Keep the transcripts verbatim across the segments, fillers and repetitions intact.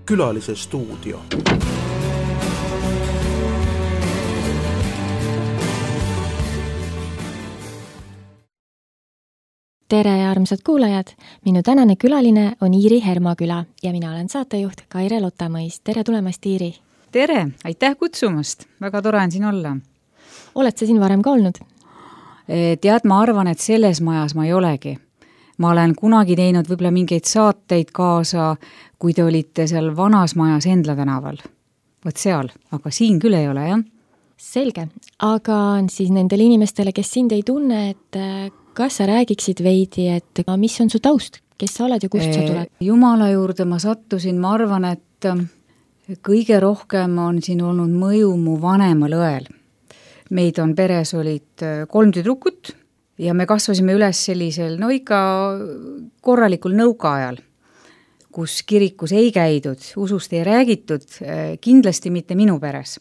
Külalise stuudio. Tere armsad kuulajad! Minu tänane külaline on Iiri Hermaküla ja mina olen saatejuht Kaire Lotamõis. Tere tulemast, Iiri! Tere! Aitäh kutsumast! Väga tore on siin olla. Oled sa siin varem ka olnud? Tead, ma arvan, et selles majas ma ei olegi. Ma olen kunagi teinud võib-olla mingeid saateid kaasa, kui te olite seal vanas majas Endla tänaval. Võt seal, aga siin küll ei ole, jah? Selge, aga siis nendele inimestele, kes sind ei tunne, et kas sa räägiksid veidi, et mis on su taust? Kes sa oled ja kust sa tuled? Jumala juurde ma sattusin, ma arvan, et kõige rohkem on siin olnud mõju mu vanemal õel. Meid on peres olid kolm tüdrukut ja me kasvasime üles sellisel, no ikka korralikul nõukaajal, kus kirikus ei käidud, usust ei räägitud, kindlasti mitte minu peres,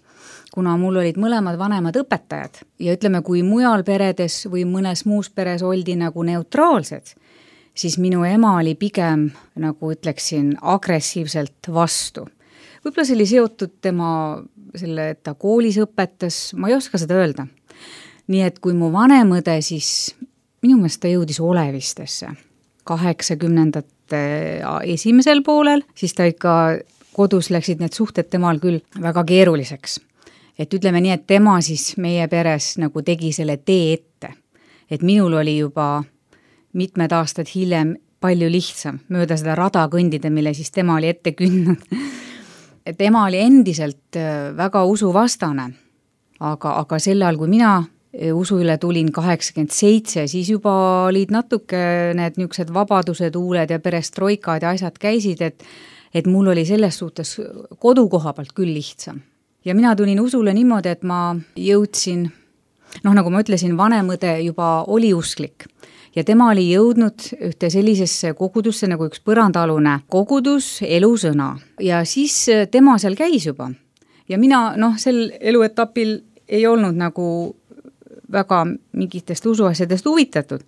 kuna mul olid mõlemad vanemad õpetajad ja ütleme, kui mujal peredes või mõnes muus peres oldi nagu neutraalsed, siis minu ema oli pigem, nagu ütleksin, agressiivselt vastu. Võib-olla see oli seotud tema selle, et ta koolis õpetas, ma ei oska seda öelda. Nii et kui mu vanemõde, siis minu meelest ta jõudis olevistesse kaheksakümnendate esimesel poolel, siis ta ikka kodus läksid need suhted temal küll väga keeruliseks. Et ütleme nii, et tema siis meie peres nagu tegi selle tee ette. Et minul oli juba mitmed aastad hiljem palju lihtsam mööda seda rada kõndida, mille siis tema oli ette kündnud. Tema oli endiselt väga usuvastane, aga, aga sel ajal, kui mina usu üle tulin kaheksakümmend seitse, siis juba olid natuke need niisugused vabadused, uuled ja perestroikad ja asjad käisid, et, et mul oli selles suhtes kodukoha pealt küll lihtsam. Ja mina tulin usule niimoodi, et ma jõudsin, noh nagu ma ütlesin, vanemõde juba oli usklik ja tema oli jõudnud ühte sellisesse kogudusse nagu üks põrandaalune kogudus, elusõna ja siis tema seal käis juba ja mina noh, sel eluetapil ei olnud nagu väga mingitest usuasjadest huvitatud.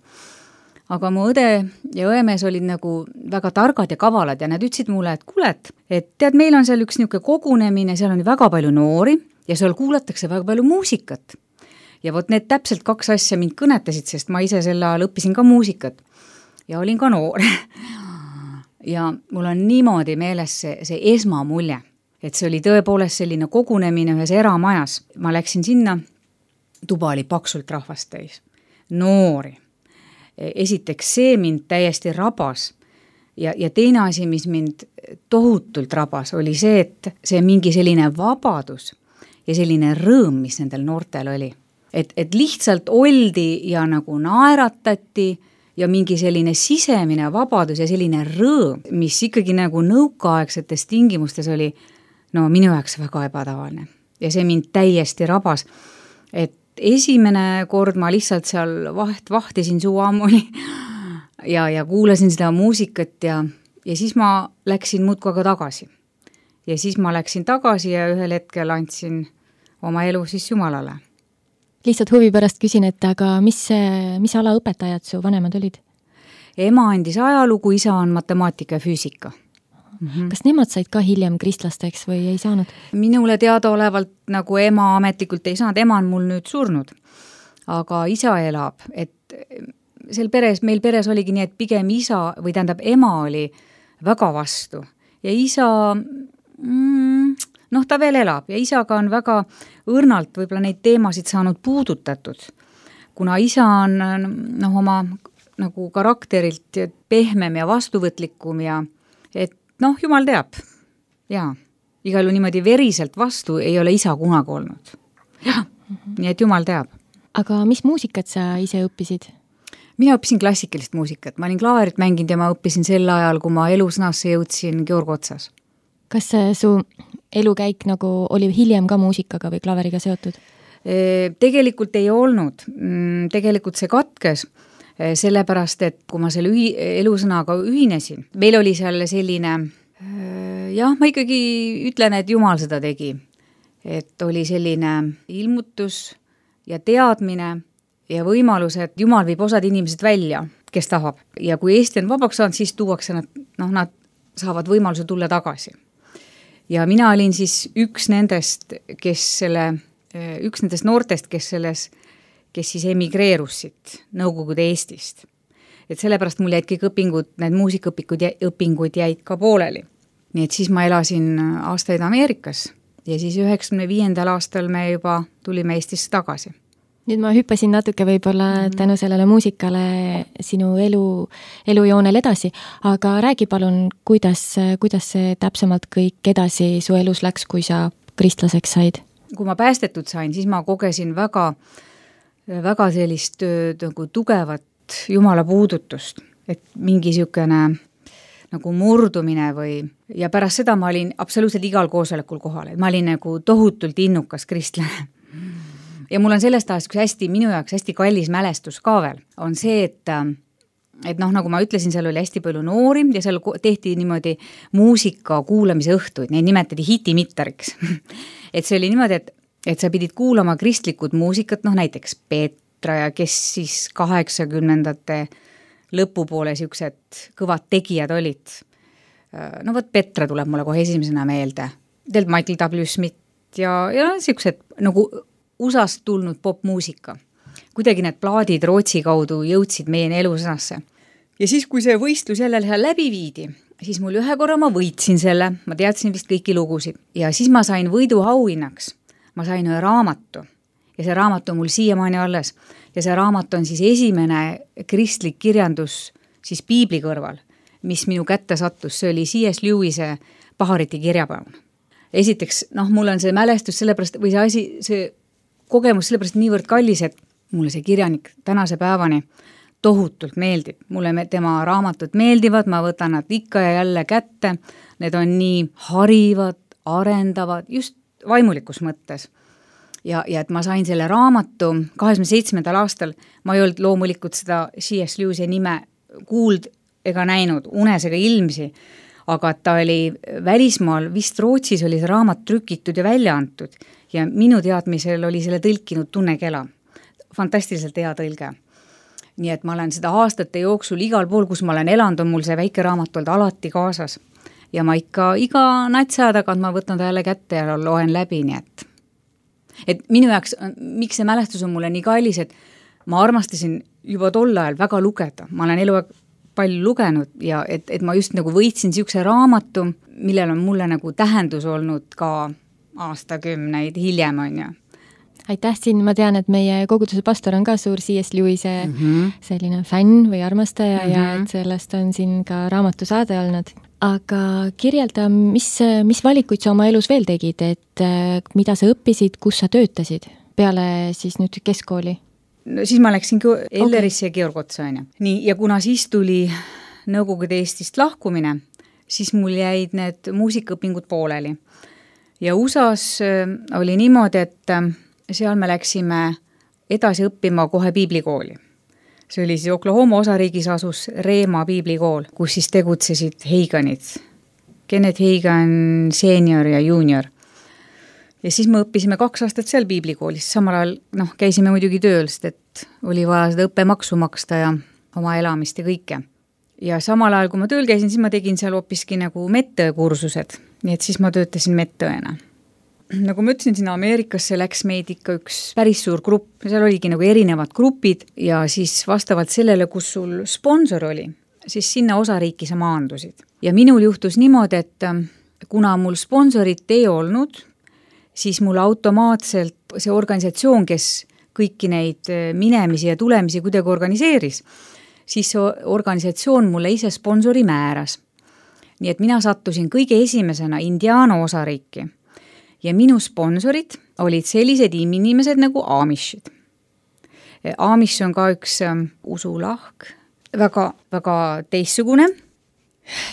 Aga mu õde ja õemees olid nagu väga targad ja kavalad ja nad ütlesid mulle, et kuulet, et tead, meil on seal üks niisugune kogunemine, seal on väga palju noori ja seal kuulatakse väga palju muusikat. Ja vot need täpselt kaks asja mind kõnetasid, sest ma ise selle ajal õppisin ka muusikat ja olin ka noor. Ja mul on niimoodi meeles see, see esmamulje, et see oli tõepoolest selline kogunemine ühes eramajas. Ma läksin sinna, tuba oli paksult rahvast täis, noori. Esiteks see mind täiesti rabas ja, ja teine asi, mis mind tohutult rabas, oli see, et see mingi selline vabadus ja selline rõõm, mis nendel noortel oli. Et, et lihtsalt oldi ja nagu naeratati ja mingi selline sisemine vabadus ja selline rõõm, mis ikkagi nagu nõukaaegsetes tingimustes oli no minu jaoks väga ebatavaline. Ja see mind täiesti rabas, et esimene kord ma lihtsalt seal vaht, vahtisin suu ammuli ja, ja kuulasin seda muusikat ja, ja siis ma läksin muudkuaga tagasi. Ja siis ma läksin tagasi ja ühel hetkel andsin oma elu siis Jumalale. Lihtsalt huvi pärast küsin, et aga mis, mis ala õpetajad su vanemad olid? Ema andis ajalugu, isa on matemaatika ja füüsika. Mm-hmm. Kas nemad said ka hiljem kristlasteks või ei saanud? Minule teadaolevalt nagu ema ametlikult ei saanud, ema on mul nüüd surnud, aga isa elab, et sel peres, meil peres oligi nii, et pigem isa või tähendab ema oli väga vastu ja isa, mm, noh ta veel elab ja isaga on väga õrnalt võib-olla neid teemasid saanud puudutatud, kuna isa on noh, oma nagu karakterilt pehmem ja vastuvõtlikum ja et noh, Jumal teab. Jaa, igal ju niimoodi veriselt vastu ei ole isa kunagi olnud. Jah, mm-hmm. Nii et Jumal teab. Aga mis muusikat sa ise õppisid? Mina õppisin klassikalist muusikat. Ma olin klaverit mänginud ja ma õppisin sel ajal, kui ma elusõnasse jõudsin Georg Otsas. Kas su elukäik nagu oli hiljem ka muusikaga või klaveriga seotud? Tegelikult ei olnud. Tegelikult see katkes. Sellepärast, et kui ma selle ühi, elusõnaga ühinesin, meil oli seal selline, jah, ma ikkagi ütlen, et Jumal seda tegi, et oli selline ilmutus ja teadmine ja võimalus, et Jumal viib osad inimesed välja, kes tahab. Ja kui Eesti on vabaks saanud, siis tuuakse nad, noh, nad saavad võimaluse tulla tagasi. ja mina olin siis üks nendest, kes selle, üks nendest noortest, kes selles, kes siis emigreerus siit Nõukogude Eestist. Et sellepärast mul jäid kõik õpingud, need muusikaõpingud, õpingud jäid ka pooleli. Nii et siis ma elasin aastaid Ameerikas ja siis üheksakümne viiendal aastal me juba tulime Eestisse tagasi. Nüüd ma hüppasin natuke võib-olla mm -hmm. tänu sellele muusikale sinu elu, elujoonel edasi, aga räägi palun, kuidas, kuidas see täpsemalt kõik edasi su elus läks, kui sa kristlaseks said? Kui ma päästetud sain, siis ma kogesin väga, väga sellist nagu tugevat Jumala puudutust, et mingi niisugune nagu murdumine või, ja pärast seda ma olin absoluutselt igal koosolekul kohal, et ma olin nagu tohutult innukas kristlane. Ja mul on sellest ajast üks hästi, minu jaoks hästi kallis mälestus ka veel, on see, et et noh, nagu ma ütlesin, seal oli hästi palju noori ja seal tehti niimoodi muusika kuulamise õhtuid, neid nimetati hitimittariks. Et see oli niimoodi, et, et sa pidid kuulama kristlikud muusikat, noh näiteks Peetra ja kes siis kaheksakümnendate lõpupoole siuksed kõvad tegijad olid. No võt Petra tuleb mulle kohe esimesena meelde, teilt Michael W. Smith ja, ja siuksed nagu U S A-st tulnud popmuusika. Kuidagi need plaadid Rootsi kaudu jõudsid meie elusõnasse. Ja siis, kui see võistlus jälle läbi viidi, siis mul ühe korra ma võitsin selle, ma teadsin vist kõiki lugusid. Ja siis ma sain võidu auhinnaks. Ma sain ühe raamatu. Ja see raamat on mul siiamaani alles. Ja see raamat on siis esimene kristlik kirjandus siis piibli kõrval, mis minu kätte sattus. See oli C S Lewis'e Pahariti kirjapaun. Esiteks, noh, mul on see mälestus sellepärast, või see asi, see kogemus sellepärast niivõrd kallis, et mulle see kirjanik tänase päevani tohutult meeldib. Mulle tema raamatud meeldivad, ma võtan nad ikka ja jälle kätte. Need on nii harivad, arendavad, just vaimulikus mõttes. Ja, ja et ma sain selle raamatu kaheksakümne seitsmendal aastal, ma ei olnud loomulikult seda C S Lewis'e nime kuuld ega näinud, unes ega ilmsi, aga ta oli välismaal, vist Rootsis oli see raamat trükitud ja välja antud ja minu teadmisel oli selle tõlkinud Tunne Kela. Fantastiliselt hea tõlge. Nii et ma olen seda aastate jooksul igal pool, kus ma olen elanud, on mul see väike raamat olnud alati kaasas. Ja ma ikka iga natsa tagant ma võtan ta jälle kätte ja loen läbi, nii et et minu jaoks, miks see mälestus on mulle nii kallis, et ma armastasin juba tol ajal väga lugeda. Ma olen eluaeg palju lugenud ja et, et ma just nagu võitsin siukse raamatu, millel on mulle nagu tähendus olnud ka aastakümneid hiljem on ju. Aitäh siin, ma tean, et meie koguduse pastor on ka suur C S Lewis'e mm -hmm. selline fänn või armastaja mm -hmm. ja et sellest on siin ka raamatu saade olnud. Aga kirjelda, mis, mis valikuid sa oma elus veel tegid, et mida sa õppisid, kus sa töötasid peale siis nüüd keskkooli? No siis ma läksin Ellerisse okay. ja Georg Otsa on ju. Nii, ja kuna siis tuli Nõukogude Eestist lahkumine, siis mul jäid need muusikaõpingud pooleli. Ja U S A-s oli niimoodi, et seal me läksime edasi õppima kohe piiblikooli. See oli siis Oklahoma osariigis asus Reema piiblikool, kus siis tegutsesid Heiganid. Kenneth Heigan senior ja junior. Ja siis me õppisime kaks aastat seal piiblikoolis. Samal ajal noh, käisime muidugi tööl, sest et oli vaja seda õppemaksu maksta ja oma elamist ja kõike. Ja samal ajal, kui ma tööl käisin, siis ma tegin seal hoopiski nagu medõekursused. Nii et siis ma töötasin medõena. Nagu ma ütlesin, sinna Ameerikasse läks meid ikka üks päris suur grupp, seal oligi nagu erinevad grupid ja siis vastavalt sellele, kus sul sponsor oli, siis sinna osariiki sa maandusid. Ja minul juhtus niimoodi, et kuna mul sponsorit ei olnud, siis mul automaatselt see organisatsioon, kes kõiki neid minemisi ja tulemisi kuidagi organiseeris, siis see organisatsioon mulle ise sponsori määras. Nii et mina sattusin kõige esimesena Indiana osariiki. Ja minu sponsorid olid sellised inimesed nagu Amishid. Amish on ka üks um, usulahk, väga, väga teissugune.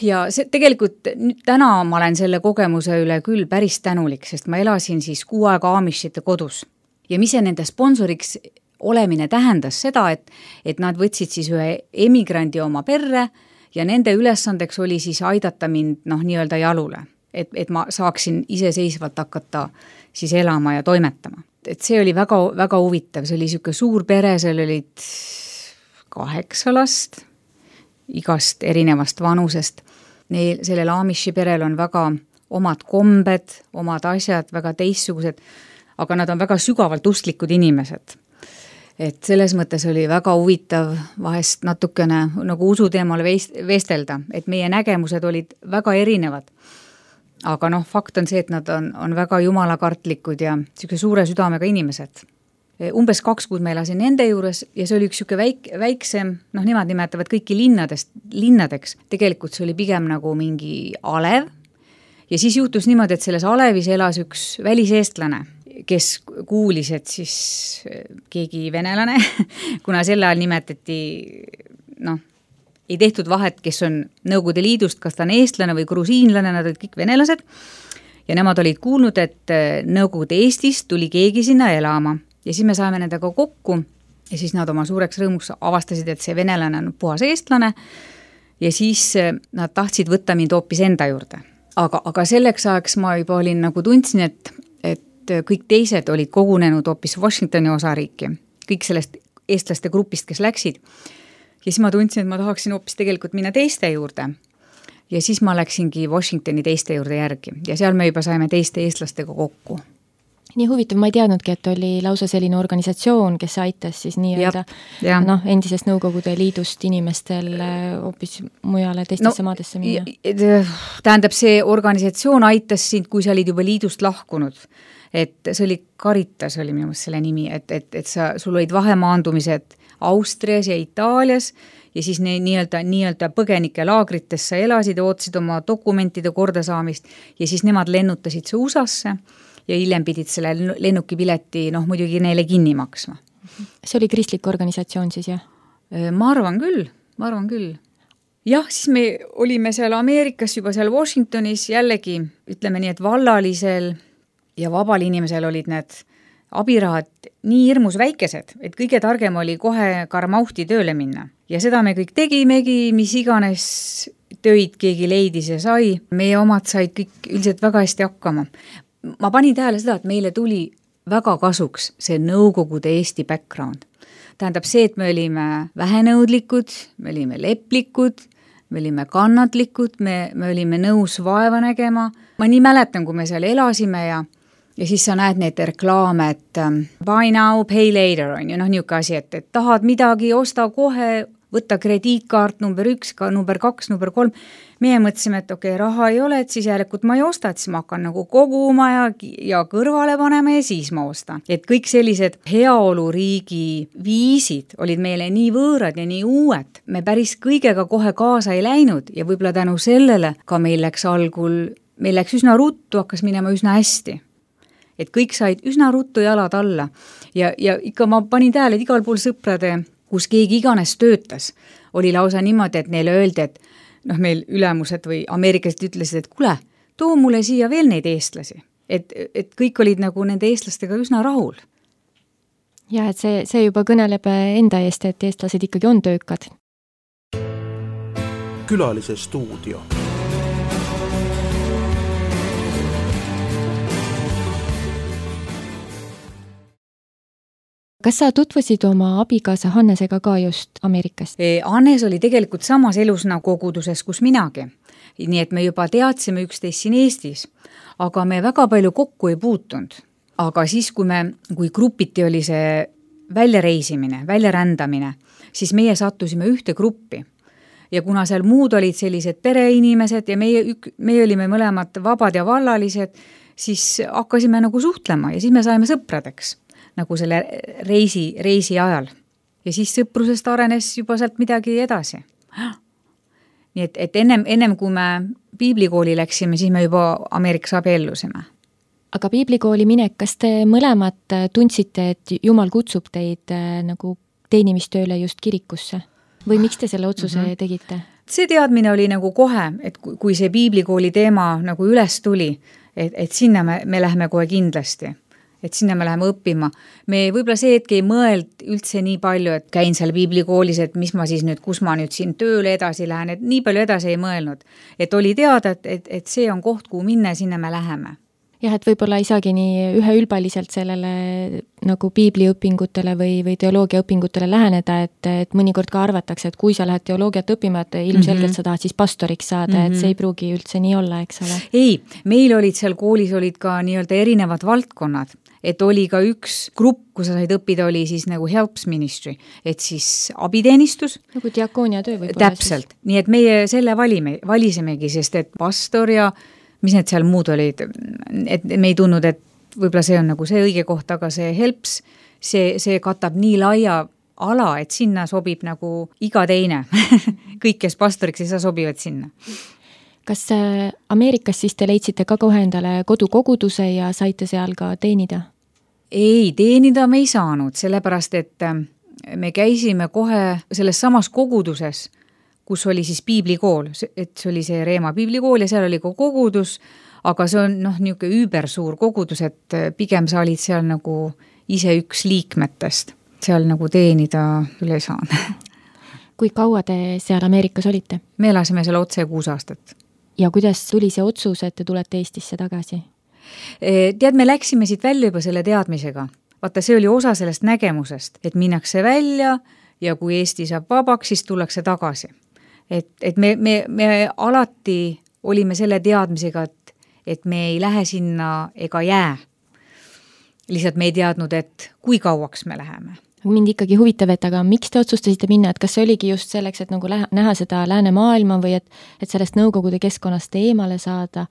Ja see, tegelikult nüüd täna ma olen selle kogemuse üle küll päris tänulik, sest ma elasin siis kuu aega Amishite kodus. Ja mis see nende sponsoriks olemine tähendas seda, et, et nad võtsid siis ühe emigrandi oma perre ja nende ülesandeks oli siis aidata mind noh, nii-öelda jalule. Et, et ma saaksin iseseisvalt hakata siis elama ja toimetama. Et see oli väga, väga huvitav, see oli siuke suur pere, seal olid kaheksa last, igast erinevast vanusest. Neil, sellel Amishi perel on väga omad kombed, omad asjad, väga teistsugused, aga nad on väga sügavalt usklikud inimesed. Et selles mõttes oli väga huvitav vahest natukene nagu usuteemal vestelda, et meie nägemused olid väga erinevad. Aga noh, fakt on see, et nad on, on väga jumalakartlikud ja siuke suure südamega inimesed. Umbes kaks kuud me elasin nende juures ja see oli üks siuke väik, väiksem, noh, nemad nimetavad kõiki linnadest, linnadeks. Tegelikult see oli pigem nagu mingi alev ja siis juhtus niimoodi, et selles alevis elas üks väliseestlane, kes kuulis, et siis keegi venelane, kuna sel ajal nimetati, noh, ei tehtud vahet, kes on Nõukogude Liidust, kas ta on eestlane või grusiinlane, nad olid kõik venelased ja nemad olid kuulnud, et Nõukogude Eestist tuli keegi sinna elama ja siis me saime nendega kokku ja siis nad oma suureks rõõmuks avastasid, et see venelane on puhas eestlane ja siis nad tahtsid võtta mind hoopis enda juurde. Aga, aga selleks ajaks ma juba olin nagu tundsin, et, et kõik teised olid kogunenud hoopis Washingtoni osariiki, kõik sellest eestlaste grupist, kes läksid. Ja siis ma tundsin, et ma tahaksin hoopis tegelikult minna teiste juurde. Ja siis ma läksingi Washingtoni teiste juurde järgi ja seal me juba saime teiste eestlastega kokku. Nii huvitav, ma ei teadnudki, et oli lausa selline organisatsioon, kes aitas siis nii-öelda noh, endisest Nõukogude Liidust inimestel hoopis mujale teistesse no, maadesse minna. Tähendab, see organisatsioon aitas sind, kui sa olid juba liidust lahkunud. Et see oli Caritas, oli minu mõttes selle nimi, et, et, et sa, sul olid vahemaandumised Austrias ja Itaalias ja siis ne, nii-öelda, nii-öelda põgenike laagrites sa elasid ja ootasid oma dokumentide kordasaamist ja siis nemad lennutasid see U S A-sse ja hiljem pidid selle lennukipileti, noh, muidugi neile kinni maksma. See oli kristlik organisatsioon siis, jah? Ma arvan küll, ma arvan küll. Jah, siis me olime seal Ameerikas juba seal Washingtonis jällegi, ütleme nii, et vallalisel ja vabal inimesel olid need abirahad nii hirmus väikesed, et kõige targem oli kohe karmauhti tööle minna. Ja seda me kõik tegimegi, mis iganes töid keegi leidis ja sai. Meie omad said kõik üldiselt väga hästi hakkama. Ma panin tähele seda, et meile tuli väga kasuks see Nõukogude Eesti background. Tähendab see, et me olime vähenõudlikud, me olime leplikud, me olime kannatlikud, me, me olime nõus vaeva nägema. Ma nii mäletan, kui me seal elasime ja Ja siis sa näed neid reklaame, et buy now, pay later on ju, noh niuke asi, et, et tahad midagi, osta kohe, võtta krediitkaart number üks, number kaks, number kolm. Meie mõtlesime, et okei, okay, raha ei ole, et siis järelikult ma ei osta, et siis ma hakkan nagu koguma ja, ja kõrvale panema ja siis ma ostan. Et kõik sellised heaoluriigi viisid olid meile nii võõrad ja nii uued. Me päris kõigega kohe kaasa ei läinud ja võib-olla tänu sellele ka meil läks algul, meil läks üsna ruttu, hakkas minema üsna hästi. Et kõik said üsna ruttu jalad alla ja, ja ikka ma panin tähele, et igal pool sõprade, kus keegi iganes töötas, oli lausa niimoodi, et neile öeldi, et noh, meil ülemused või ameeriklased ütlesid, et kule, too mulle siia veel neid eestlasi. Et, et kõik olid nagu nende eestlastega üsna rahul. Ja, et see, see juba kõneleb enda eest, et eestlased ikkagi on töökad. Külalise stuudio. Kas sa tutvusid oma abikaasa Hannesega ka just Ameerikast? Hannes oli tegelikult samas elusna koguduses, kus minagi. Nii et me juba teadsime üksteist siin Eestis, aga me väga palju kokku ei puutunud. Aga siis, kui, me, kui grupiti oli see väljareisimine, väljarändamine, siis meie sattusime ühte gruppi. Ja kuna seal muud olid sellised pereinimesed ja meie, meie olime mõlemad vabad ja vallalised, siis hakkasime nagu suhtlema ja siis me saime sõpradeks. Nagu selle reisi, reisi ajal. Ja siis sõprusest arenes juba sealt midagi edasi. Nii et, et ennem, ennem kui me piiblikooli läksime, siis me juba Ameerikas abiellusime. Aga piiblikooli minek, kas te mõlemad tundsite, et Jumal kutsub teid nagu teenimistööle just kirikusse? Või miks te selle otsuse mm-hmm. tegite? See teadmine oli nagu kohe, et kui see piiblikooli teema nagu üles tuli, et, et sinna me, me läheme kohe kindlasti. Et sinna me läheme õppima. Me võib-olla see hetk ei mõeld üldse nii palju, et käin seal piiblikoolis, et mis ma siis nüüd, kus ma nüüd siin tööle edasi lähen, et nii palju edasi ei mõelnud. Et oli teada, et, et, et see on koht, kuhu minna ja sinna me läheme. jah, et võib-olla ei saagi nii üheülbaliselt sellele nagu piibliõpingutele või, või teoloogiaõpingutele läheneda, et, et mõnikord ka arvatakse, et kui sa lähed teoloogiat õppima, et ilmselgelt mm -hmm. sa tahad siis pastoriks saada mm, -hmm. et see ei pruugi üldse nii olla, eks ole? Ei, meil olid seal koolis olid ka nii-öelda erinevad valdkonnad, et oli ka üks grupp, kus sa said õppida, oli siis nagu helps ministry, et siis abiteenistus. Nagu diakoonia töö võib-olla. Täpselt, siis. Nii et meie selle valime, valisemegi, sest et pastor ja mis need seal muud olid, et me ei tundnud, et võib-olla see on nagu see õige koht, aga see helps, see, see katab nii laia ala, et sinna sobib nagu iga teine. Kõik, kes pastoriks ei saa, sobivad sinna. Kas Ameerikas siis te leidsite ka kohe endale kodukoguduse ja saite seal ka teenida? Ei, teenida me ei saanud, sellepärast, et me käisime kohe selles samas koguduses, kus oli siis piiblikool, et see oli see Reema piiblikool ja seal oli ka kogudus, aga see on noh, niisugune üübersuur kogudus, et pigem sa olid seal nagu ise üks liikmetest, seal nagu teenida üle ei saanud. Kui kaua te seal Ameerikas olite? Me elasime seal otse kuus aastat. Ja kuidas tuli see otsus, et te tulete Eestisse tagasi? Tead, me läksime siit välja juba selle teadmisega. Vaata, see oli osa sellest nägemusest, et minnakse välja ja kui Eesti saab vabaks, siis tullakse tagasi. Et, et me, me, me alati olime selle teadmisega, et, et me ei lähe sinna ega jää. Lihtsalt me ei teadnud, et kui kauaks me läheme. Mind ikkagi huvitav, et aga miks te otsustasite minna, et kas see oligi just selleks, et nagu lähe, näha seda lääne maailma või et, et sellest Nõukogude keskkonnast eemale saada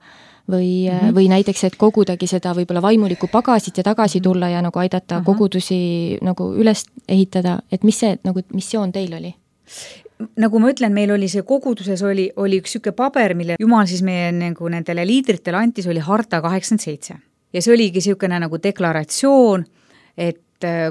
või, mm -hmm. või näiteks, et kogudagi seda võib-olla vaimulikku pagasit ja tagasi tulla ja nagu aidata Aha. kogudusi nagu üles ehitada, et mis see nagu missioon teil oli? Nagu ma ütlen, meil oli see koguduses oli, oli üks süke paber, mille Jumal siis meie nagu nendele liidritele antis, oli harta kaheksakümmend seitse. Ja see oligi sükene nagu deklaratsioon, et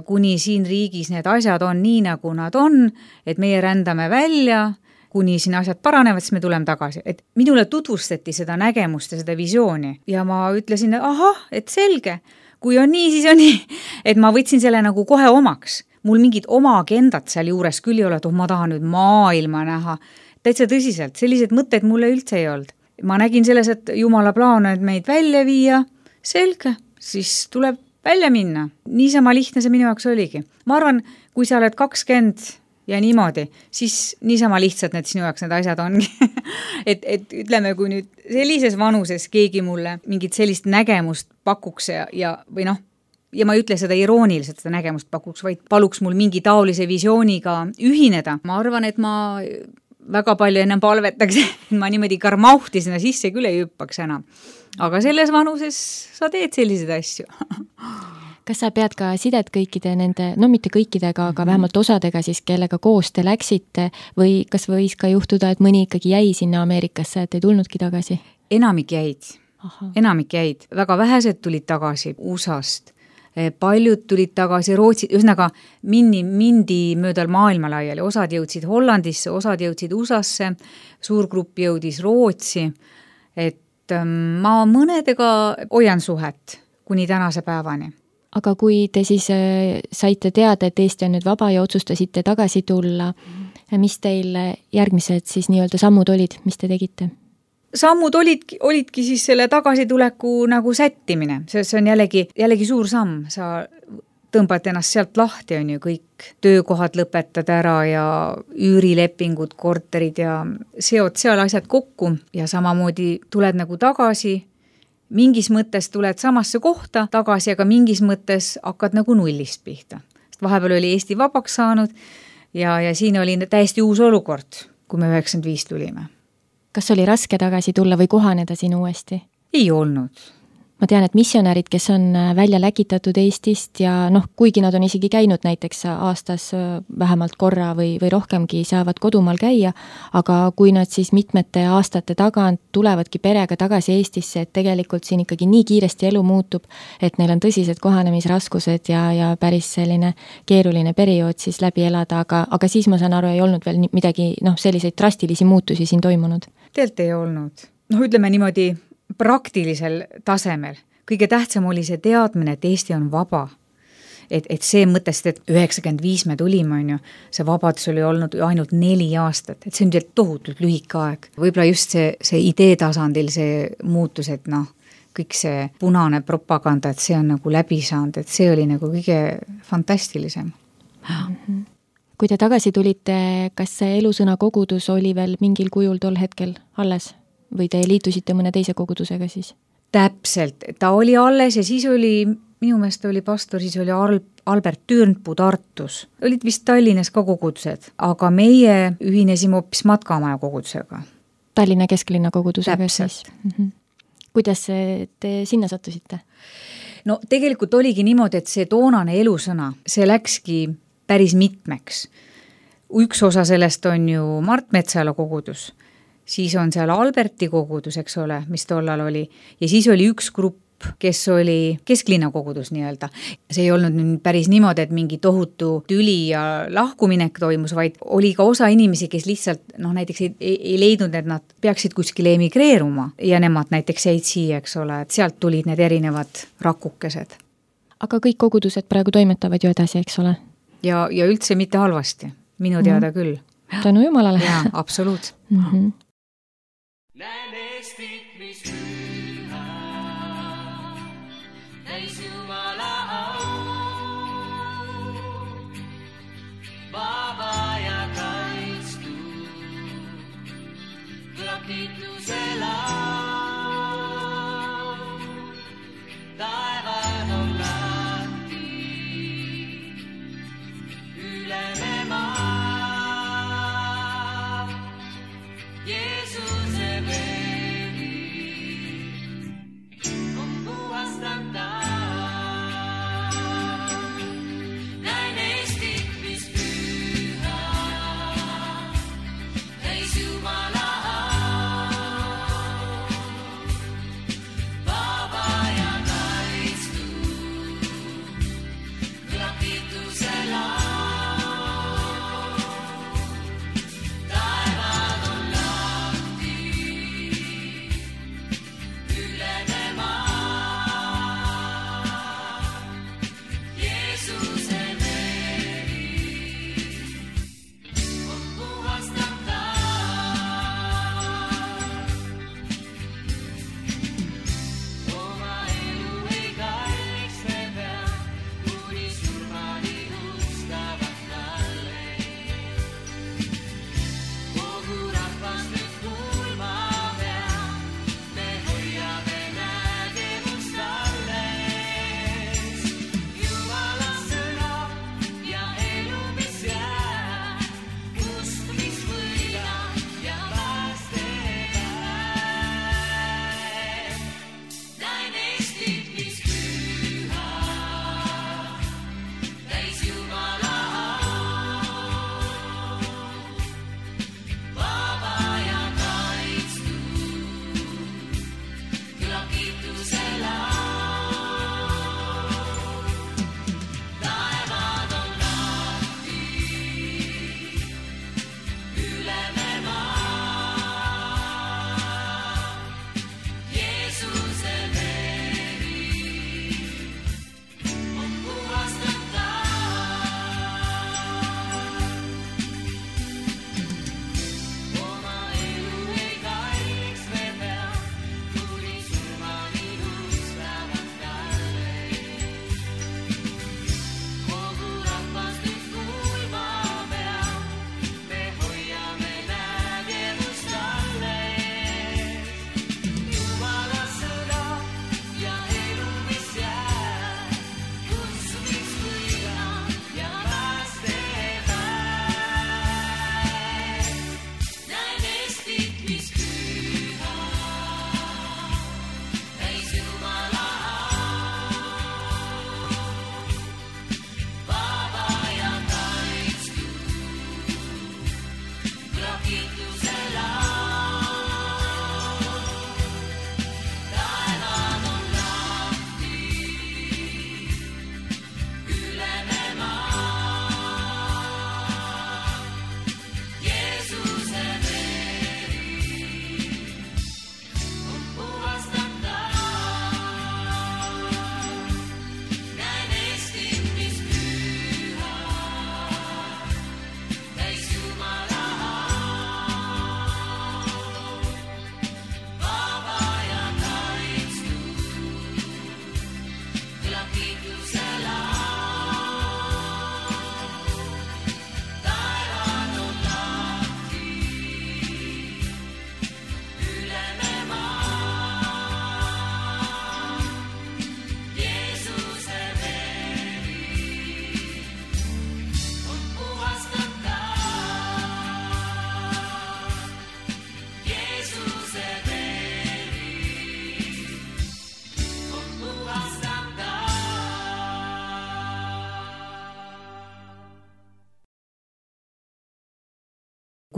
kuni siin riigis need asjad on nii, nagu nad on, et meie rändame välja, kuni siin asjad paranevad, siis me tuleme tagasi. Et minule tutvustati seda nägemust ja seda visiooni ja ma ütlesin, ahah, et selge, kui on nii, siis on nii. Et ma võtsin selle nagu kohe omaks. Mul mingid oma agendat seal juures küll ei ole, et oh, ma tahan nüüd maailma näha. Täitsa tõsiselt, sellised mõtted mulle üldse ei olnud. Ma nägin selles, et Jumala plaan on meid välja viia, selge, siis tuleb välja minna. Niisama lihtne see minu jaoks oligi. Ma arvan, kui sa oled kakskümmend ja niimoodi, siis niisama lihtsalt need sinu jaoks need asjad ongi. et, et ütleme, kui nüüd sellises vanuses keegi mulle mingit sellist nägemust pakuks ja, ja või noh, ja ma ei ütle seda irooniliselt, seda nägemust pakuks, vaid paluks mul mingi taolise visiooniga ühineda. Ma arvan, et ma väga palju ennem palvetaks, et ma niimoodi karmauhti sinna sisse küll ei hüppaks enam. Aga selles vanuses sa teed selliseid asju. Kas sa pead ka sidet kõikide nende, no mitte kõikidega, aga vähemalt osadega siis, kellega koos te läksite või kas võis ka juhtuda, et mõni ikkagi jäi sinna Ameerikasse, et ei tulnudki tagasi? Enamik jäid. Enamik jäid. Väga vähesed tulid tagasi U S A-st. Paljud tulid tagasi Rootsi, ühesõnaga mindi, mindi möödal maailma laiali. Osad jõudsid Hollandisse, osad jõudsid U S A-sse, suur grupp jõudis Rootsi, et ma mõnedega hoian suhet kuni tänase päevani. Aga kui te siis saite teada, et Eesti on nüüd vaba ja otsustasite tagasi tulla, mis teil järgmised siis nii-öelda sammud olid, mis te tegite? Sammud olidki, olidki siis selle tagasituleku nagu sättimine. See, see on jällegi, jällegi suur samm. Sa tõmbad ennast sealt lahti, on ju kõik töökohad lõpetad ära ja üürilepingud, korterid ja seod seal asjad kokku ja samamoodi tuled nagu tagasi. Mingis mõttes tuled samasse kohta tagasi, aga mingis mõttes hakkad nagu nullist pihta. Sest vahepeal oli Eesti vabaks saanud ja, ja siin oli täiesti uus olukord, kui me üheksakümmend viis tulime. Kas oli raske tagasi tulla või kohaneda siin uuesti? Ei olnud. Ma tean, et missionärid, kes on välja läkitatud Eestist ja noh, kuigi nad on isegi käinud näiteks aastas vähemalt korra või, või rohkemgi saavad kodumaal käia, aga kui nad siis mitmete aastate tagant tulevadki perega tagasi Eestisse, et tegelikult siin ikkagi nii kiiresti elu muutub, et neil on tõsised kohanemisraskused ja, ja päris selline keeruline periood siis läbi elada, aga, aga siis ma saan aru, ei olnud veel midagi, noh, selliseid drastilisi muutusi siin toimunud. Teelt ei olnud. Noh, ütleme niimoodi, praktilisel tasemel. Kõige tähtsam oli see teadmine, et Eesti on vaba. Et, et see mõttest, et üheksakümmend viis me tulime, on ju, see vabadus oli olnud ainult neli aastat, et see on tohutult lühike aeg. Võib-olla just see, see idee tasandil see muutus, et noh, kõik see punane propaganda, et see on nagu läbi saanud, et see oli nagu kõige fantastilisem. Mm-hmm. Kui te tagasi tulite, kas see Elusõna kogudus oli veel mingil kujul tol hetkel alles või te liitusite mõne teise kogudusega siis? Täpselt, ta oli alles ja siis oli, minu meelest oli pastor, siis oli Al- Albert Türnpuu Tartus. Olid vist Tallinnas ka kogudused, aga meie ühinesime hoopis Matkamaja kogudusega. Tallinna kesklinna kogudusega Täpselt. siis? Mm-hmm. Kuidas te sinna sattusite? No tegelikult oligi niimoodi, et see toonane Elusõna, see läkski päris mitmeks. Üks osa sellest on ju Mart Metsala kogudus, siis on seal Alberti kogudus, eks ole, mis tollal oli, ja siis oli üks grupp, kes oli kesklinna kogudus nii-öelda. See ei olnud nüüd päris niimoodi, et mingi tohutu tüli ja lahkuminek toimus, vaid oli ka osa inimesi, kes lihtsalt noh, näiteks ei, ei leidnud, et nad peaksid kuskile emigreeruma ja nemad näiteks jäid siia, eks ole, et sealt tulid need erinevad rakukesed. Aga kõik kogudused praegu toimetavad ju edasi, eks ole? Ja, ja üldse mitte halvasti, minu teada mm-hmm. küll. Tänu Jumalale. Jaa, absoluut. Mm-hmm. Näen Eestit, mis püha, täis Jumala au, vaba ja kaitstu, kõlab kiituse lau, taevad on lahti, üleme maa.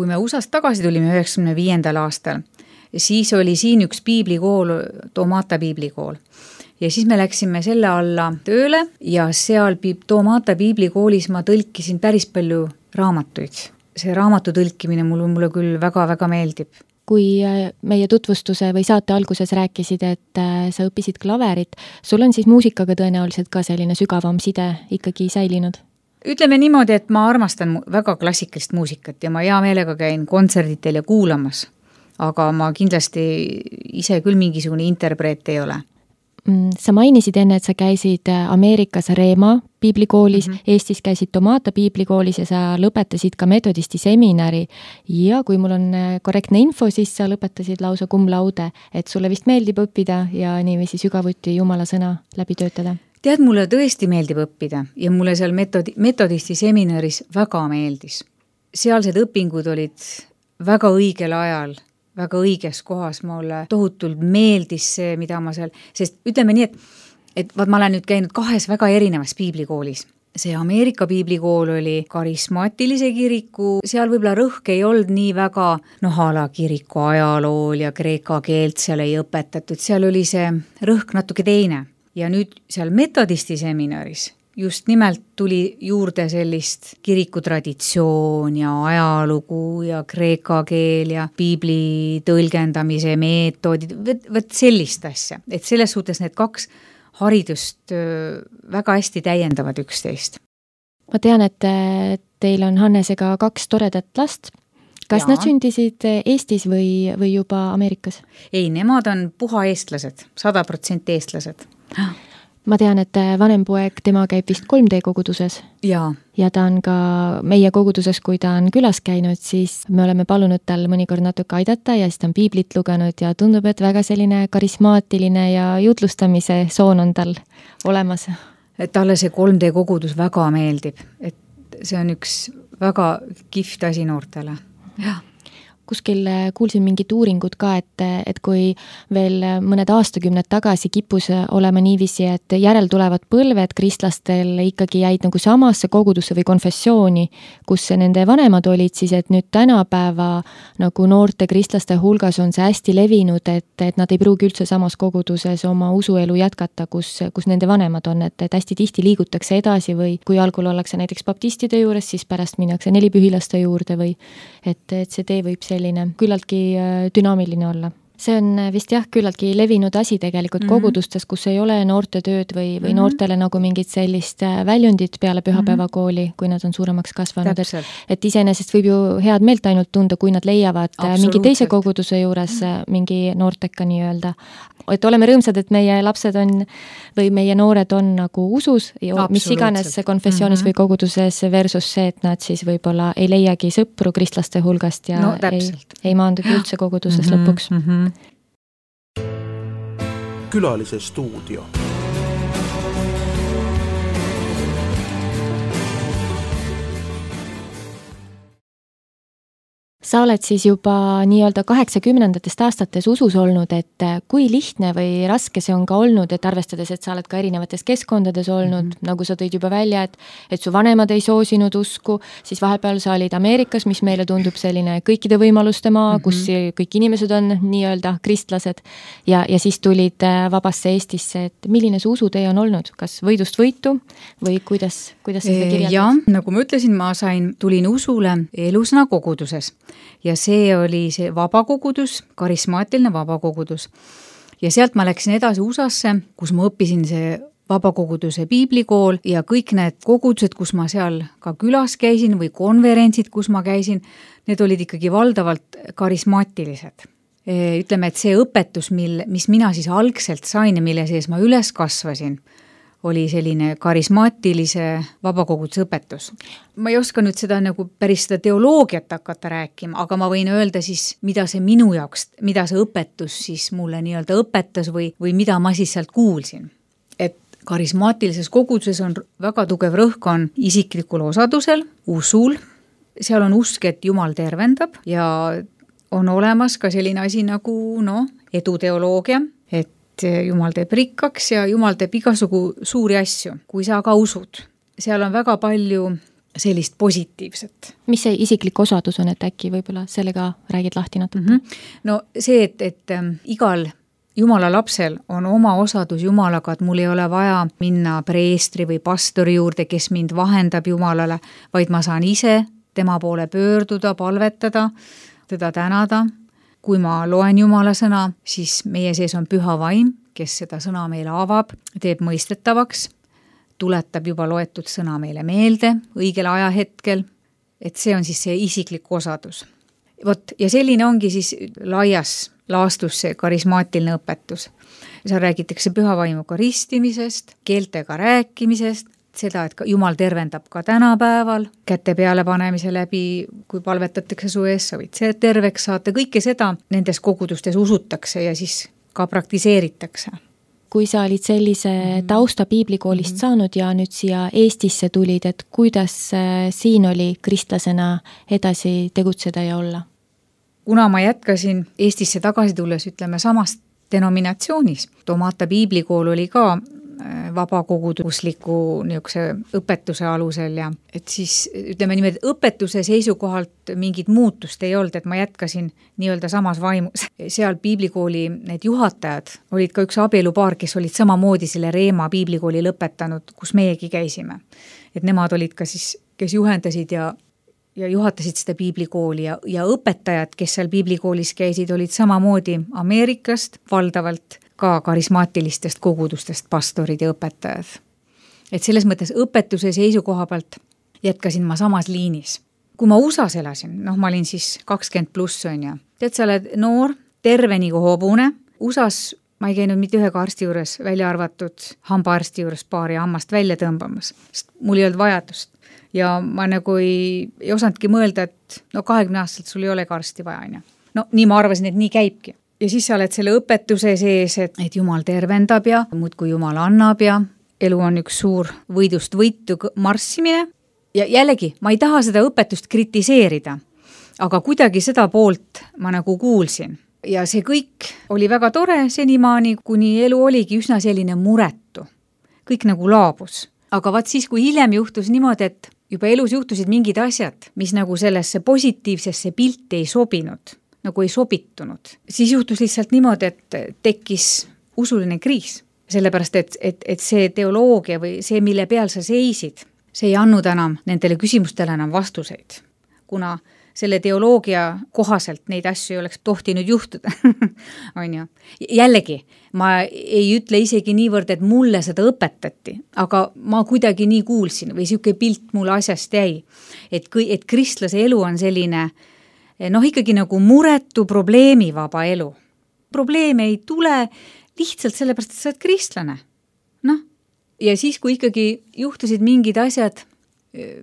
kui me U S A-st tagasi tulime üheksakümne viiendal aastal, siis oli siin üks piiblikool, Tomata piiblikool. Ja siis me läksime selle alla tööle ja seal Tomata piiblikoolis ma tõlkisin päris palju raamatuid. See raamatu tõlkimine mulle, mulle küll väga-väga meeldib. Kui meie tutvustuse või saate alguses rääkisid, et sa õppisid klaverit, sul on siis muusikaga tõenäoliselt ka selline sügavam side ikkagi säilinud? Ütleme niimoodi, et ma armastan väga klassikalist muusikat ja ma hea meelega käin kontserditel ja kuulamas, aga ma kindlasti ise küll mingisugune interpreet ei ole. Sa mainisid enne, et sa käisid Ameerikas Reema piiblikoolis, mm-hmm. Eestis käisid Tomata piiblikoolis ja sa lõpetasid ka metodisti seminari ja kui mul on korrektne info, siis sa lõpetasid lausa cum laude, et sulle vist meeldib õppida ja niiviisi sügavuti Jumala sõna läbi töötada. Tead, mulle tõesti meeldib õppida ja mulle seal metodi, metodisti seminaris väga meeldis. Sealsed õpingud olid väga õigel ajal, väga õiges kohas, mulle tohutult meeldis see, mida ma seal, sest ütleme nii, et, et vaat ma olen nüüd käinud kahes väga erinevas piiblikoolis. See Ameerika piiblikool oli karismaatilise kiriku, seal võib-olla rõhk ei olnud nii väga, noh, ala kiriku ajalool ja kreeka keelt seal ei õpetatud, seal oli see rõhk natuke teine. Ja nüüd seal metodisti seminaris just nimelt tuli juurde sellist kirikutraditsioon ja ajalugu ja kreeka keel ja piibli tõlgendamise meetodid, võt sellist asja. Et selles suhtes need kaks haridust väga hästi täiendavad üksteist. Ma tean, et teil on Hannesega kaks toredat last. Kas ja. Nad sündisid Eestis või, või juba Ameerikas? Ei, nemad on puha eestlased, sada protsenti eestlased. Ma tean, et vanem poeg, tema käib vist kolm D koguduses ja. ja ta on ka meie koguduses, kui ta on külas käinud, siis me oleme palunud tal mõnikord natuke aidata ja siis ta on piiblit lugenud ja tundub, et väga selline karismaatiline ja jutlustamise soon on tal olemas. Et talle see kolm D kogudus väga meeldib, et see on üks väga kihvt asi noortele. Jah. Kuskil kuulsin mingit uuringut ka, et, et kui veel mõned aastakümned tagasi kippus olema niiviisi, et järel tulevad põlved kristlastel ikkagi jäid nagu samasse kogudusse või konfessiooni, kus nende vanemad olid, siis et nüüd tänapäeva nagu noorte kristlaste hulgas on see hästi levinud, et, et nad ei pruugi üldse samas koguduses oma usuelu jätkata, kus, kus nende vanemad on, et, et hästi tihti liigutakse edasi või kui algul ollakse näiteks baptistide juures, siis pärast minnakse nelipühilaste juurde või et, et see tee võib selline küllaltki dünaamiline olla. See on vist jah, küllaltki levinud asi tegelikult mm-hmm. kogudustes, kus ei ole noorte tööd või, või mm-hmm. noortele nagu mingit sellist väljundit peale pühapäevakooli, kui nad on suuremaks kasvanud. Et, et iseenesest võib ju head meelt ainult tunda, kui nad leiavad mingi teise koguduse juures mm-hmm. mingi noorteka nii-öelda. Et oleme rõõmsad, et meie lapsed on või meie noored on nagu usus, mis iganes konfessioonis mm-hmm. või koguduses versus see, et nad siis võib-olla ei leiagi sõpru kristlaste hulgast ja no, ei, ei maandugi üldse koguduses mm-hmm. lõpuks. Mm-hmm. Külalise stuudio. Sa oled siis juba nii-öelda kaheksakümnendatest aastates usus olnud, et kui lihtne või raske see on ka olnud, et arvestades, et sa oled ka erinevates keskkondades olnud, mm-hmm. nagu sa tõid juba välja, et, et su vanemad ei soosinud usku, siis vahepeal sa olid Ameerikas, mis meile tundub selline kõikide võimaluste maa, mm-hmm. kus kõik inimesed on nii-öelda kristlased ja, ja siis tulid vabasse Eestisse, et milline see usutee on olnud, kas võidust võitu või kuidas, kuidas sa seda kirjeldad? Ja, nagu ma ütlesin, ma sain, tulin usule Elusõna koguduses. Ja see oli see vabakogudus, karismaatiline vabakogudus. Ja sealt ma läksin edasi U S A-sse, kus ma õppisin see vabakoguduse piiblikool ja kõik need kogudused, kus ma seal ka külas käisin või konverentsid, kus ma käisin, need olid ikkagi valdavalt karismaatilised. Ütleme, et see õpetus, mil, mis mina siis algselt sain ja mille sees ma üles kasvasin, oli selline karismaatilise vabakoguduse õpetus. Ma ei oska nüüd seda nagu päris seda teoloogiat hakata rääkima, aga ma võin öelda siis, mida see minu jaoks, mida see õpetus siis mulle nii-öelda õpetas või, või mida ma siis sealt kuulsin. Et karismaatilises koguduses on väga tugev rõhk on isiklikul osadusel, usul, seal on usk, et Jumal tervendab ja on olemas ka selline asi nagu no, eduteoloogia, et Jumal teeb rikkaks ja Jumal teeb igasugu suuri asju, kui sa ka usud. Seal on väga palju sellist positiivset. mis see isiklik osadus on, et äkki võib-olla sellega räägid lahti natuke? Mm -hmm. No see, et, et ähm, igal Jumala lapsel on oma osadus Jumalaga, et mul ei ole vaja minna preestri või pastori juurde, kes mind vahendab Jumalale, vaid ma saan ise tema poole pöörduda, palvetada, teda tänada. Kui ma loen Jumala sõna, siis meie sees on püha vaim, kes seda sõna meile avab, teeb mõistetavaks, tuletab juba loetud sõna meile meelde õigel ajahetkel, et see on siis see isiklik osadus. Vot, ja selline ongi siis laias laastus see karismaatiline õpetus. Seal räägitakse püha vaimuga ristimisest, keeltega rääkimisest, seda, et Jumal tervendab ka tänapäeval, käte peale panemise läbi, kui palvetatakse su ees, sa võid see terveks saata, kõike seda nendes kogudustes usutakse ja siis ka praktiseeritakse. Kui sa olid sellise tausta piiblikoolist mm-hmm. saanud ja nüüd siia Eestisse tulid, et kuidas siin oli kristlasena edasi tegutseda ja olla? Kuna ma jätkasin Eestisse tagasi tulles, ütleme, samast denominatsioonis, Tomata piiblikool oli ka vabakogudusliku niisuguse õpetuse alusel ja et siis ütleme niimoodi, õpetuse seisukohalt mingit muutust ei olnud, et ma jätkasin nii-öelda samas vaimus. Seal piiblikooli need juhatajad olid ka üks abielupaar, kes olid samamoodi selle Reema piiblikooli lõpetanud, kus meiegi käisime. Et nemad olid ka siis, kes juhendasid ja ja juhatasid seda piiblikooli ja, ja õpetajad, kes seal piiblikoolis käisid, olid samamoodi Ameerikast valdavalt ka karismaatilistest kogudustest pastorid ja õpetajad. Et selles mõttes õpetuse seisukoha pealt jätkasin ma samas liinis. Kui ma U S A-s elasin, noh ma olin siis kakskümmend pluss on ja, tead sa oled noor, terve nagu hobune, U S A-s ma ei käinud mitte ühega arsti juures, välja arvatud hambaarsti juures paari hammast välja tõmbamas, sest mul ei olnud vajadust. Ja ma nagu ei, ei osanudki mõelda, et no kahekümne aastaselt sul ei ole ka arsti vaja. Ja. No nii ma arvasin, et nii käibki. Ja siis sa oled selle õpetuse sees, et, et Jumal tervendab ja muudkui Jumal annab ja elu on üks suur võidust võitu marssimine. Ja jällegi, ma ei taha seda õpetust kritiseerida, aga kuidagi seda poolt ma nagu kuulsin. Ja see kõik oli väga tore senimaani, kuni elu oligi üsna selline muretu. Kõik nagu laabus. Aga vaat siis, kui hiljem juhtus niimoodi, et juba elus juhtusid mingid asjad, mis nagu sellesse positiivsesse pilti ei sobinud, nagu ei sobitunud, siis juhtus lihtsalt niimoodi, et tekkis usuline kriis. Sellepärast, et, et, et see teoloogia või see, mille peal sa seisid, see ei andnud enam nendele küsimustele enam vastuseid, kuna selle teoloogia kohaselt neid asju ei oleks tohtinud juhtuda. on ju. Jällegi, ma ei ütle isegi niivõrd, et mulle seda õpetati, aga ma kuidagi nii kuulsin või siuke pilt mulle asjast jäi, et, et kristlase elu on selline, noh ikkagi nagu muretu probleemivaba elu. Probleeme ei tule lihtsalt sellepärast, et sa oled kristlane. Noh, ja siis, kui ikkagi juhtusid mingid asjad,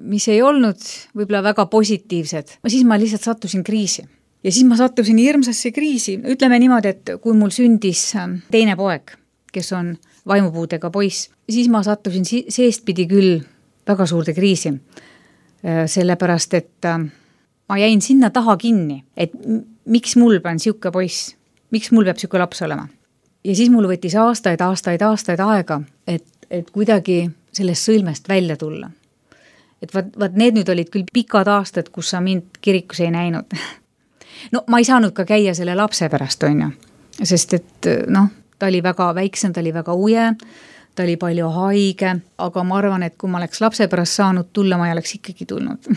mis ei olnud võib-olla väga positiivsed, siis ma lihtsalt sattusin kriisi. Ja siis ma sattusin hirmsasse kriisi. Ütleme niimoodi, et kui mul sündis teine poeg, kes on vaimupuudega poiss, siis ma sattusin seestpidi küll väga suurde kriisi. Sellepärast, et ma jäin sinna taha kinni, et miks mul pean siuke poiss, miks mul peab siuke laps olema. Ja siis mul võttis aastaid, aastaid, aastaid aega, et, et kuidagi sellest sõlmest välja tulla. Et vaat, vaat need nüüd olid küll pikad aastad, kus sa mind kirikus ei näinud. No ma ei saanud ka käia selle lapse pärast, on ju. Sest et noh, ta oli väga väiksem, ta oli väga uje, ta oli palju haige, aga ma arvan, et kui ma oleks lapse pärast saanud tulla, ma ei oleks ikkagi tulnud.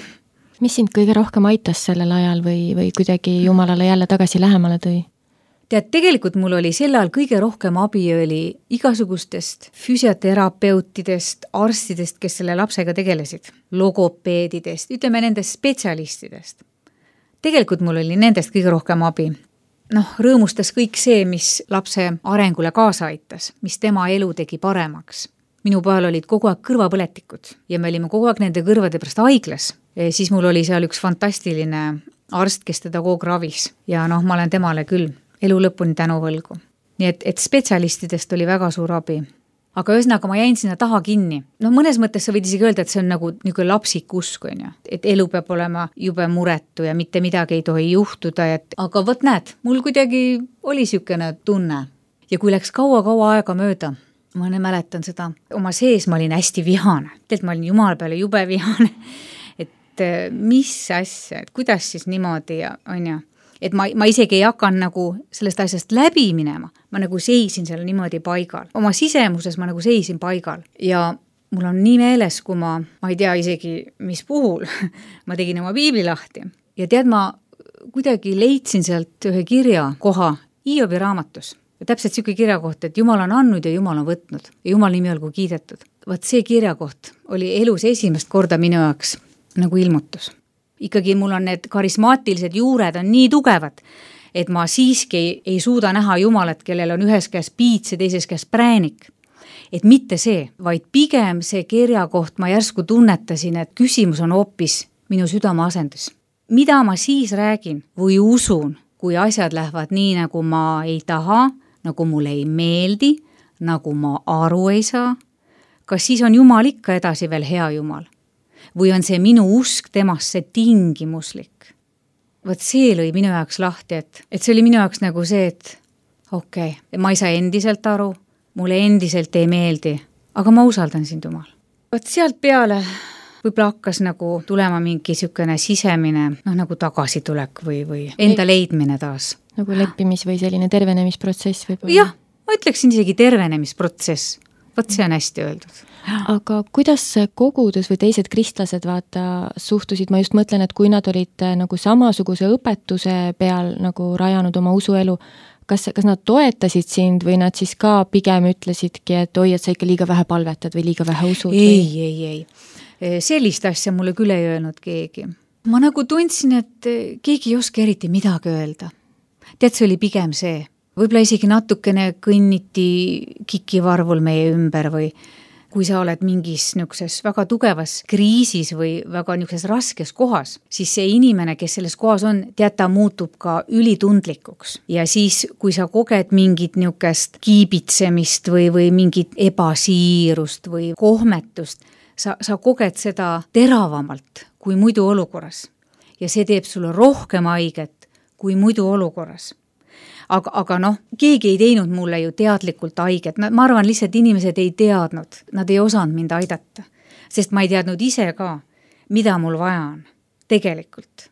Mis sind kõige rohkem aitas sellel ajal või, või kuidagi Jumalale jälle tagasi lähemale tõi? Tead, tegelikult mul oli sel ajal kõige rohkem abi oli igasugustest füsioterapeutidest, arstidest, kes selle lapsega tegelesid, logopeedidest, ütleme nendest spetsialistidest. Tegelikult mul oli nendest kõige rohkem abi. Noh, rõõmustas kõik see, mis lapse arengule kaasa aitas, mis tema elu tegi paremaks. Minu pojal olid kogu aeg kõrvapõletikud ja me olime kogu aeg nende kõrvade pärast haiglas. E siis mul oli seal üks fantastiline arst, kes teda kogu ravis ja noh, ma olen temale küll elu lõpuni tänu võlgu. Nii et, et spetsialistidest oli väga suur abi. Aga ühesõnaga ma jäin sinna taha kinni. No mõnes mõttes sa võid isegi öelda, et see on nagu niisugune lapsik usk, on ju. Et elu peab olema jube muretu ja mitte midagi ei tohi juhtuda. Et, aga võt näed, mul kuidagi oli siukene tunne. Ja kui läks kaua-kaua aega mööda, ma ne mäletan seda, oma sees ma olin hästi vihane. Teelt ma olin Jumala peale jube vihane. et mis asja, et kuidas siis niimoodi ja on ju, et ma, ma isegi ei hakanud nagu sellest asjast läbi minema, ma nagu seisin seal niimoodi paigal. Oma sisemuses ma nagu seisin paigal ja mul on nii meeles, kui ma, ma ei tea isegi, mis puhul, ma tegin oma piibli lahti ja tead, ma kuidagi leidsin sealt ühe kirja koha Hiobi raamatus. Ja täpselt siuke kirjakoht, et Jumal on andnud ja Jumal on võtnud ja Jumal nimi olgu kiidetud. Vaat see kirjakoht oli elus esimest korda minu jaoks nagu ilmutus. Ikkagi mul on need karismaatilised juured on nii tugevad, et ma siiski ei, ei suuda näha Jumalat, kellel on ühes käes piits ja teises käes präänik. Et mitte see, vaid pigem see kirjakoht ma järsku tunnetasin, et küsimus on hoopis minu südame asendus. Mida ma siis räägin või usun, kui asjad lähevad nii, nagu ma ei taha, nagu mulle ei meeldi, nagu ma aru ei saa? Kas siis on Jumal ikka edasi veel hea Jumal? Või on see minu usk temasse tingimuslik? Võt see lõi minu jaoks lahti, et, et see oli minu jaoks nagu see, et okei, okay, ma ei saa endiselt aru, mulle endiselt ei meeldi, aga ma usaldan sind Jumal. Võt sealt peale võib-olla hakkas nagu tulema mingi siukene sisemine, noh nagu tagasitulek või, või enda leidmine taas. Nagu leppimis- või selline tervenemisprotsess võib-olla? Jah, ma ütleksin isegi tervenemisprotsess. Võt see on hästi öeldud. Aga kuidas kogudus või teised kristlased vaata suhtusid, ma just mõtlen, et kui nad olid nagu samasuguse õpetuse peal nagu rajanud oma usuelu, kas, kas nad toetasid sind või nad siis ka pigem ütlesidki, et oi, et sa ikka liiga vähe palvetad või liiga vähe usud? Ei, või? ei, ei. Sellist asja mulle küll ei öelnud keegi. Ma nagu tundsin, et keegi ei oska eriti midagi öelda. Tead, see oli pigem see. Võib-olla isegi natukene kõnniti kikivarvul meie ümber või kui sa oled mingis niisuguses väga tugevas kriisis või väga niisuguses raskes kohas, siis see inimene, kes selles kohas on, tead, ta muutub ka ülitundlikuks. Ja siis, kui sa koged mingit niisugust kiibitsemist või, või mingit ebasiirust või kohmetust, sa, sa koged seda teravamalt kui muidu olukorras. Ja see teeb sulle rohkem haiget kui muidu olukorras. Aga, aga noh, keegi ei teinud mulle ju teadlikult haiget. Ma arvan, lihtsalt inimesed ei teadnud, nad ei osanud mind aidata, sest ma ei teadnud ise ka, mida mul vaja on tegelikult.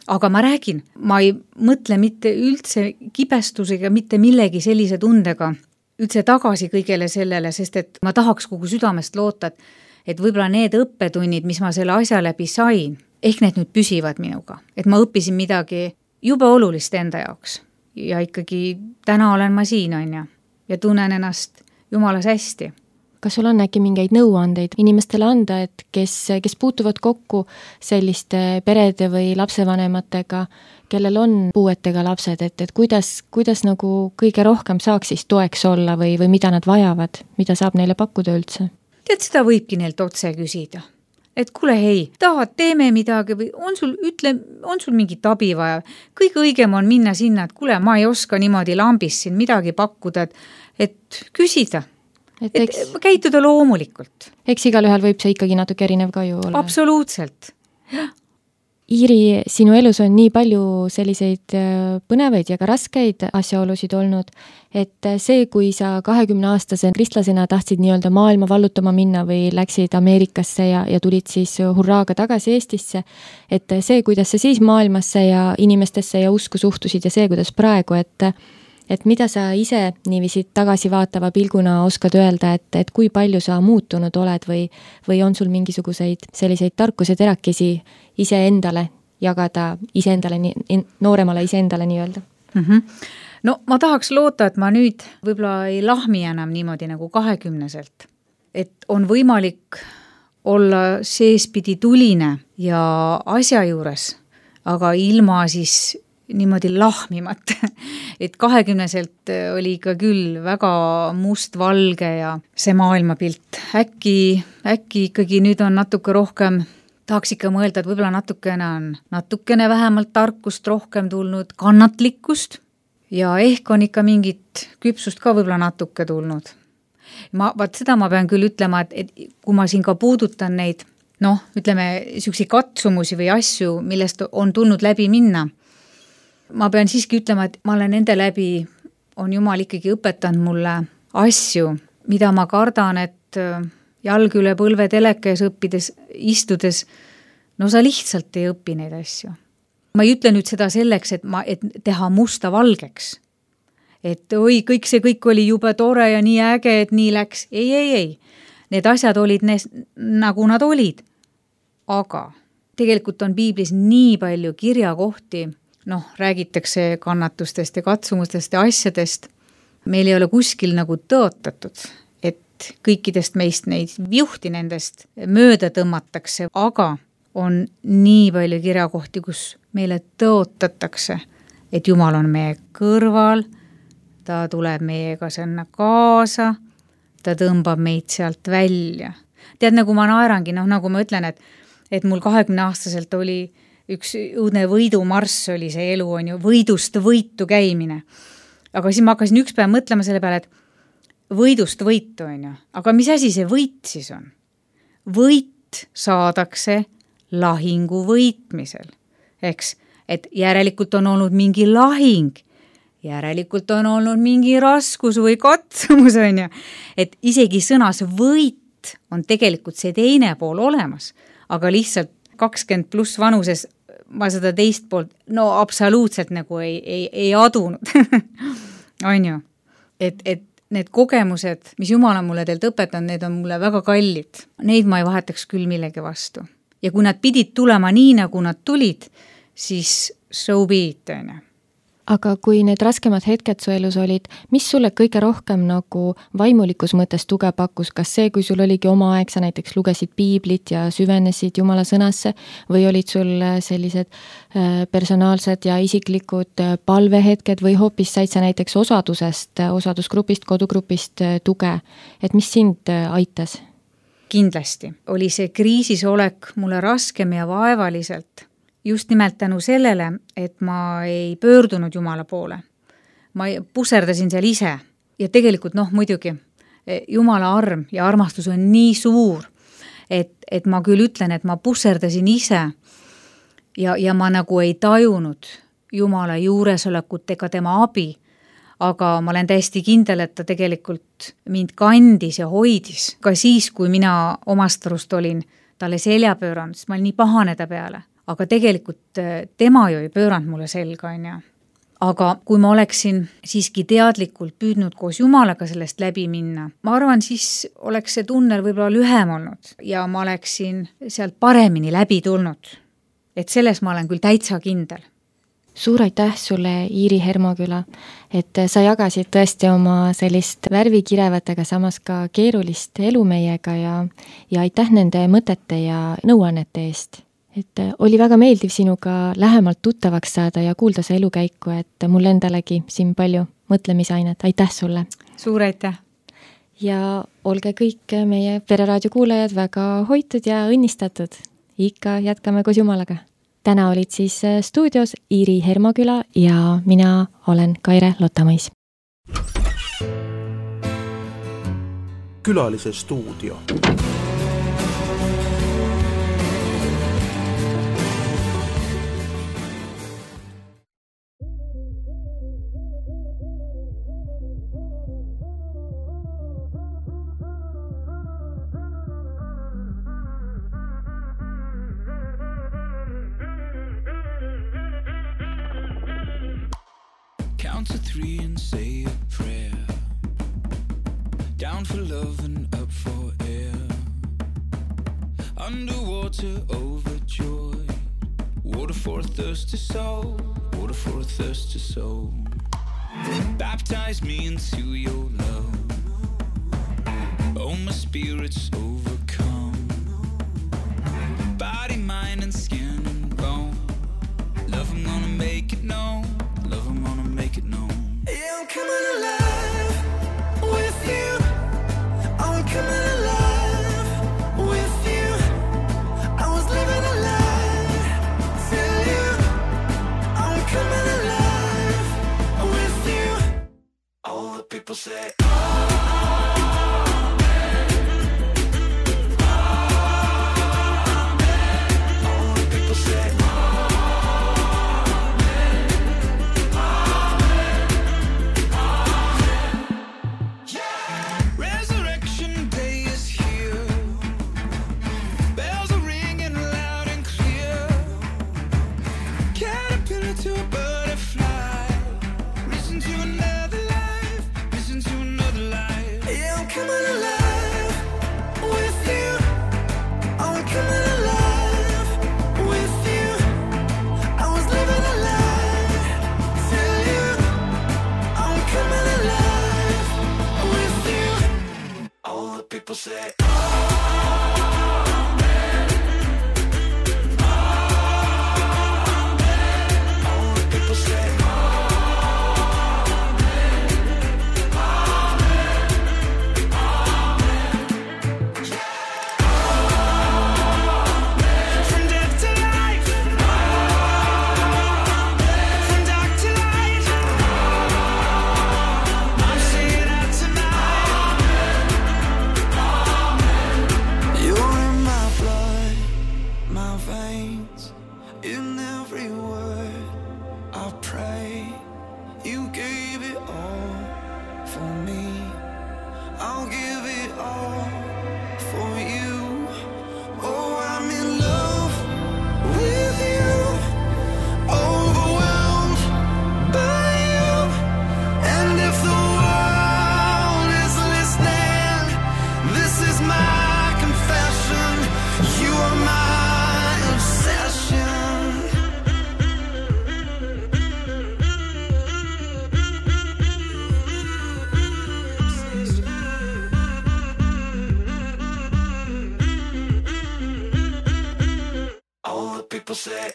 Aga ma räägin, ma ei mõtle mitte üldse kibestusega, mitte millegi sellise tundega, üldse tagasi kõigele sellele, sest et ma tahaks kogu südamest loota, et, et võib-olla need õppetunnid, mis ma selle asja läbi sain, ehk need nüüd püsivad minuga, et ma õppisin midagi jube olulist enda jaoks ja ikkagi täna olen ma siin, on ja, ja tunnen ennast Jumalas hästi. Kas sul on äkki mingeid nõuandeid inimestele anda, et kes, kes puutuvad kokku selliste perede või lapsevanematega, kellel on puuetega lapsed, et, et kuidas, kuidas nagu kõige rohkem saaks siis toeks olla või, või mida nad vajavad, mida saab neile pakkuda üldse? Tead, seda võibki neilt otse küsida. Et kuule, hei, tahad, teeme midagi või on sul, ütle, on sul mingit abi vaja? Kõige õigem on minna sinna, et kuule, ma ei oska niimoodi lambis siin midagi pakkuda, et, et küsida, et, et eks, käituda loomulikult. Eks igalühel võib see ikkagi natuke erinev ka ju olla. Absoluutselt. Iiri, sinu elus on nii palju selliseid põnevaid ja ka raskeid asjaolusid olnud, et see, kui sa kahekümne aastase kristlasena tahtsid nii-öelda maailma vallutama minna või läksid Ameerikasse ja, ja tulid siis hurraaga tagasi Eestisse, et see, kuidas sa siis maailmasse ja inimestesse ja usku suhtusid ja see, kuidas praegu, et et mida sa ise niiviisi tagasi vaatava pilguna oskad öelda, et, et kui palju sa muutunud oled või, või on sul mingisuguseid selliseid tarkuse terakesi iseendale jagada, iseendale, nooremale iseendale nii-öelda? Mm-hmm. No ma tahaks loota, et ma nüüd võib-olla ei lahmi enam niimoodi nagu kahekümneselt. Et on võimalik olla seespidi tuline ja asja juures, aga ilma siis niimoodi lahmimat, et kahekümneselt oli ikka küll väga mustvalge ja see maailmapilt. Äkki, äkki ikkagi nüüd on natuke rohkem, tahaks ikka mõelda, et võib-olla natukene on natukene vähemalt tarkust rohkem tulnud, kannatlikkust ja ehk on ikka mingit küpsust ka võib-olla natuke tulnud. Ma, vaat seda ma pean küll ütlema, et, et kui ma siin ka puudutan neid, noh, ütleme, süüksi katsumusi või asju, millest on tulnud läbi minna, ma pean siiski ütlema, et ma olen nende läbi, on Jumal ikkagi õpetanud mulle asju, mida ma kardan, et jalg üle põlve teleka ees õppides, istudes, no sa lihtsalt ei õpi neid asju. Ma ei ütle nüüd seda selleks, et, ma, et teha musta valgeks. Et oi, kõik see kõik oli jube tore ja nii äge, et nii läks. Ei, ei, ei. Need asjad olid ne, nagu nad olid. Aga tegelikult on piiblis nii palju kirjakohti, noh, räägitakse kannatustest ja katsumustest ja asjadest. Meil ei ole kuskil nagu tõotatud, et kõikidest meist neid juhti nendest mööda tõmmatakse, aga on nii palju kirjakohti, kus meile tõotatakse, et Jumal on meie kõrval, ta tuleb meiega sinna kaasa, ta tõmbab meid sealt välja. Tead, nagu ma naerangi, noh, nagu ma ütlen, et, et mul kahekümne aastaselt oli üks õudne võidumarss oli see elu, on ju, võidust võitu käimine. Aga siis ma hakkasin üks päev mõtlema selle peale, et võidust võitu, on ju. Aga mis asi see võit siis on? Võit saadakse lahingu võitmisel. Eks, et järelikult on olnud mingi lahing, järelikult on olnud mingi raskus või katsumus, on ju. Et isegi sõnas võit on tegelikult see teine pool olemas, aga lihtsalt kakskümmend pluss vanuses ma seda teist poolt, no absoluutselt nagu ei, ei, ei adunud. On ju? Et, et need kogemused, mis Jumal on mulle teilt õpetanud, need on mulle väga kallid. Neid ma ei vahetaks küll millegi vastu. Ja kui nad pidid tulema nii, nagu nad tulid, siis so be it, on ju. Aga kui need raskemad hetked su elus olid, mis sulle kõige rohkem nagu vaimulikus mõttes tuge pakkus? Kas see, kui sul oligi oma aeg, sa näiteks lugesid piiblit ja süvenesid Jumala sõnasse või olid sul sellised personaalsed ja isiklikud palvehetked või hoopis said sa näiteks osadusest, osadusgrupist, kodugrupist tuge? Et mis sind aitas? Kindlasti oli see kriisisolek mulle raskem ja vaevaliselt. Just nimelt tänu sellele, et ma ei pöördunud Jumala poole. Ma puserdasin seal ise. Ja tegelikult, noh, muidugi, Jumala arm ja armastus on nii suur, et, et ma küll ütlen, et ma puserdasin ise ja, ja ma nagu ei tajunud Jumala juuresolekut ega tema abi, aga ma olen täiesti kindel, et ta tegelikult mind kandis ja hoidis. Ka siis, kui mina omast arust olin talle selja pööranud, siis ma olin nii pahane ta peale. Aga tegelikult tema ju ei pööranud mulle selga, on ju. Aga kui ma oleksin siiski teadlikult püüdnud koos Jumalaga sellest läbi minna, ma arvan, siis oleks see tunnel võib-olla lühem olnud ja ma oleksin sealt paremini läbi tulnud. Et selles ma olen küll täitsa kindel. Suur aitäh sulle, Iiri Hermoküla, et sa jagasid tõesti oma sellist värvikirevat, aga samas ka keerulist elu meiega ja, ja aitäh nende mõtete ja nõuannete eest. Et oli väga meeldiv sinuga lähemalt tuttavaks saada ja kuulda see elukäiku, et mul endalegi siin palju mõtlemisainet. Aitäh sulle! Suur aitäh! Ja olge kõik meie Pereraadio kuulajad väga hoitud ja õnnistatud. Ikka jätkame koos Jumalaga. Täna olid siis stuudios Iiri Hermoküla ja mina olen Kaire Lottamõis. Külalise stuudio. Count to three and say a prayer. Down for love and up for air. Underwater, overjoyed. Water for a thirsty soul. Water for a thirsty soul. Baptize me into your love. Oh, my spirit's overcome. Body, mind, and skin and bone. Love, I'm gonna make it known. Love, I'm gonna make it known. Yeah, I'm coming alive with you. I'm coming alive with you. I was living a lie till you. I'm coming alive with you. All the people say, Resurrection day is here. Bells are ringing loud and clear. people say people say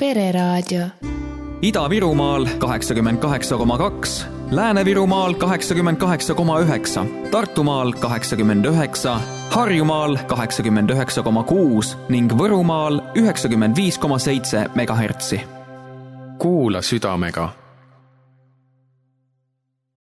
Pereraadio. Ida-Virumaal kaheksakümmend kaheksa koma kaks, Lääne-Virumaal kaheksakümmend kaheksa koma üheksa, Tartumaal kaheksakümmend üheksa, Harjumaal kaheksakümmend üheksa koma kuus ning Võrumaal üheksakümmend viis koma seitse megahertsi. Kuula südamega.